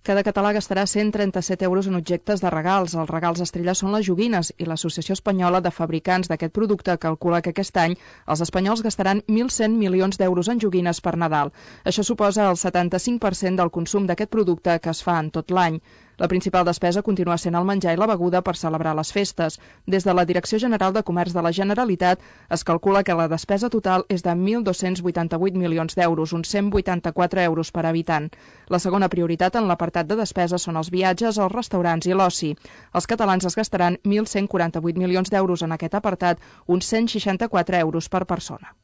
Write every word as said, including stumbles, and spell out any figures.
Cada català gastarà cent trenta-set euros en objectes de regals. Els regals estrella són les joguines i l'Associació Espanyola de Fabricants d'aquest producte calcula que aquest any els espanyols gastaran mil cent milions d'euros en joguines per Nadal. Això suposa el setanta-cinc per cent del consum d'aquest producte que es fa en tot l'any. La principal despesa continua sent el menjar i la beguda per celebrar les festes. Des de la Direcció General de Comerç de la Generalitat es calcula que la despesa total és de mil dos-cents vuitanta-vuit milions d'euros, uns cent vuitanta-quatre euros per habitant. La segona prioritat en l'apartat de despesa són els viatges, els restaurants i l'oci. Els catalans es gastaran mil cent quaranta-vuit milions d'euros en aquest apartat, uns cent seixanta-quatre euros per persona.